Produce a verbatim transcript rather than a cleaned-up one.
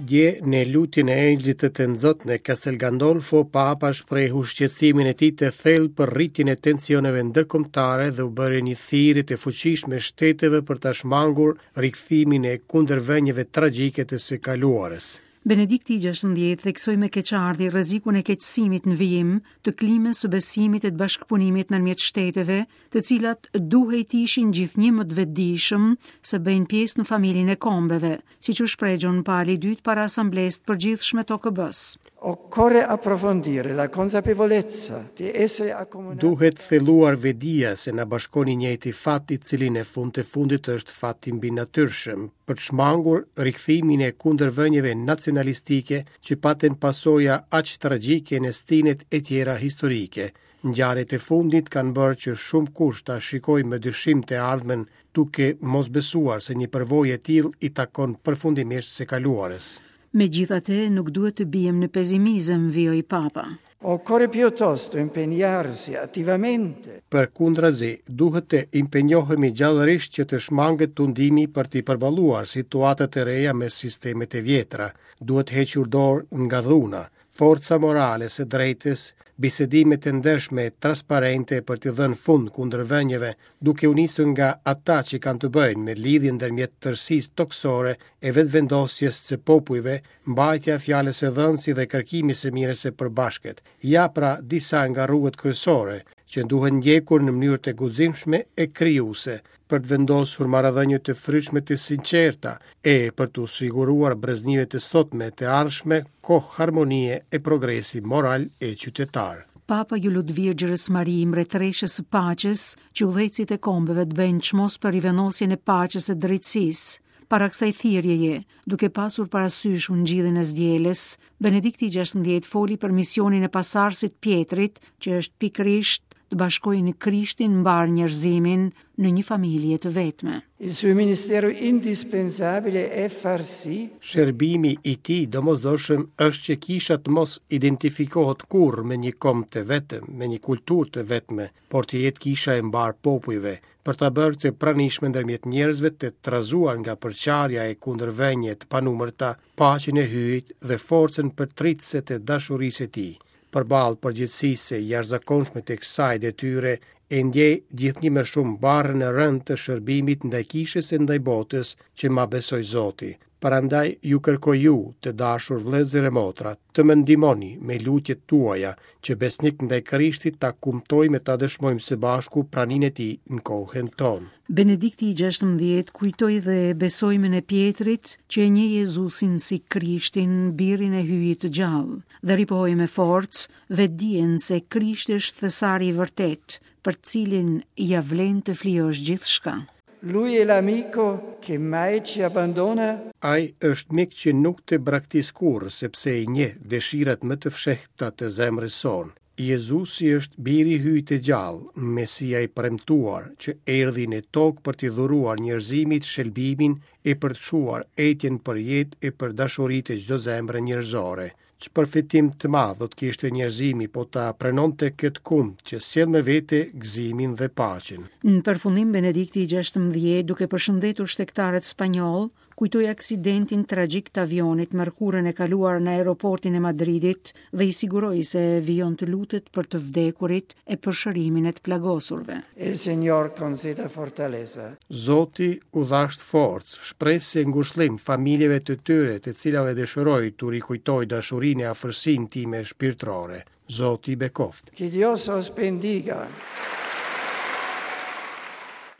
Dje, në lutjen e Engjëllit të Tënzot në Castel Gandolfo, Papa shprehu shqetësimin e tij të thellë për rritjen e tensioneve ndërkombëtare dhe u bëri një thirrje të fuqishme shteteve për ta shmangur rikthimin e kundërvënieve tragjike të së kaluarës. Benedikti i gjashtëmbëdhjetë theksoi me keqardhje rrezikun e keqësimit në vijim të klimës së besimit e të bashkëpunimit ndërmjet shteteve, të cilat duhej të ishin gjithnjë më të vetëdijshëm se bëjnë pjesë në familjen e kombeve, siç u shpreh Gjon Pali i dytë para Asamblesë të Përgjithshme të O K B-s. Occorre approfondire la consapevolezza di essere accomunati. Duhet thelluar vetëdija se na bashkon i njëjti fat, i cili në fund të fundit është fat i mbinatyrshëm, për të shmangur rikthimin e kundërvënieve nacionalistike që patën pasoja aq tragjike në stinet e tjera historike. Ngjarjet e fundit kanë bërë që shumë kush ta shikojë me dyshim të ardhmen, duke mos besuar se një përvojë e tillë i takon përfundimisht së kaluarës. Megjithatë, nuk duhet të biem në pesimizëm, vijoi Papa. Occorre piuttosto impegnarsi attivamente. Përkundrazi, duhet të impenjohemi gjallërisht që të shmanget tundimi për t'i përballuar situatat e reja me sistemet e vjetra. Duhet hequr dorë nga dhuna, forca morale së drejtës, bisedimet e ndershme e transparente për t'i dhënë fund kundërvënieve, duke u nisur nga ata që kanë të bëjnë me lidhjen ndërmjet tërësisë toksore e vetëvendosjes së popujve, mbajtja e fjalës së dhënë si dhe kërkimi së mirës së përbashkët. Ja pra disa nga rrugët kryesore që duhen ndjekur në mënyrë të guximshme e krijuese për të vendosur marrëdhënie të frytshme të sinqerta e për t'u siguruar breznive të sotme të ardhshme kohë harmonie e progresi moral e qytetar. Papa ju lut Virgjërës Mari, mbretëreshës së paqes, që udhëheqësit e kombeve të bëjnë çmos për rivenosjen e paqes e drejtësisë. Para kësaj thirrjeje, duke pasur parasysh ungjillin e zdjelës, Benedikti i gjashtëmbëdhjetë foli për misionin e pasarësit Pietrit, që është pikërisht të bashkojë në Krishtin mbar njerëzimin në një familje të vetme. Il suo ministero indispensabile è far sì Shërbimi i tij domosdoshëm është që kisha të mos identifikohet kurrë me një komb të vetëm, me një kulturë të vetme, por të jetë kisha e mbar popujve, për ta bërë të pranishme ndërmjet njerëzve të trazuar nga përçarja e kundërvënie të panumërta, paqen e Hyjit dhe forcën përtritëse të dashurisë së tij. Përballë përgjegjësisë së jashtëzakonshme të kësaj detyre, e ndjej gjithnjë më shumë barrën e rëndë të shërbimit ndaj kishës e ndaj botës që ma besoi Zoti. Prandaj ju kërkoj ju, të dashur vëllezër e motra, të më ndihmoni me lutjet tuaja, që besnik ndaj Krishtit ta kumtojmë e ta dëshmojmë së bashku praninë e tij në kohën tonë. Benedikti i gjashtëmbëdhjetë kujtoi dhe besoimin e Pietrit që e njeh Jezusin si Krishtin, birin e Hyjit të gjallë, dhe ripohoi me forcë vetdijen se Krishti është thesari i vërtet, për cilin ja vlen të flijosh gjithçka. Lui è l'amico che mai ci abbandona. Ai është mik që nuk të braktis kurrë, sepse i njeh dëshirat më të fshehta të zemrës sonë. Jezusi është biri i Hyjit të gjallë, Mesia i premtuar, që erdhi në tokë për t'i dhuruar njerëzimit shëlbimin e për të çuar etjen për jetë e për dashuritë e çdo zemre njerëzore. Që përfitim të madh do të kishte njerëzimi po ta pranonte këtë kumt që sjell me vete gëzimin dhe paqen. Në përfundim Benedikti i gjashtëmbëdhjetë, duke përshëndetur shtegtarët spanjoll, kujtoi aksidentin tragjik të avionit mërkurën e kaluar në aeroportin e Madridit dhe i siguroi se vijon të lutet për të vdekurit e për shërimin e të plagosurve. Il Signor conceda fortaleza. Zoti u dhasht forcë, shpresë e ngushëllim familjeve të tyre, të cilave dëshiroj t'u rikujtoj dashurinë e afërsinë time shpirtërore. Zoti i bekoft. Che Dios os bendiga.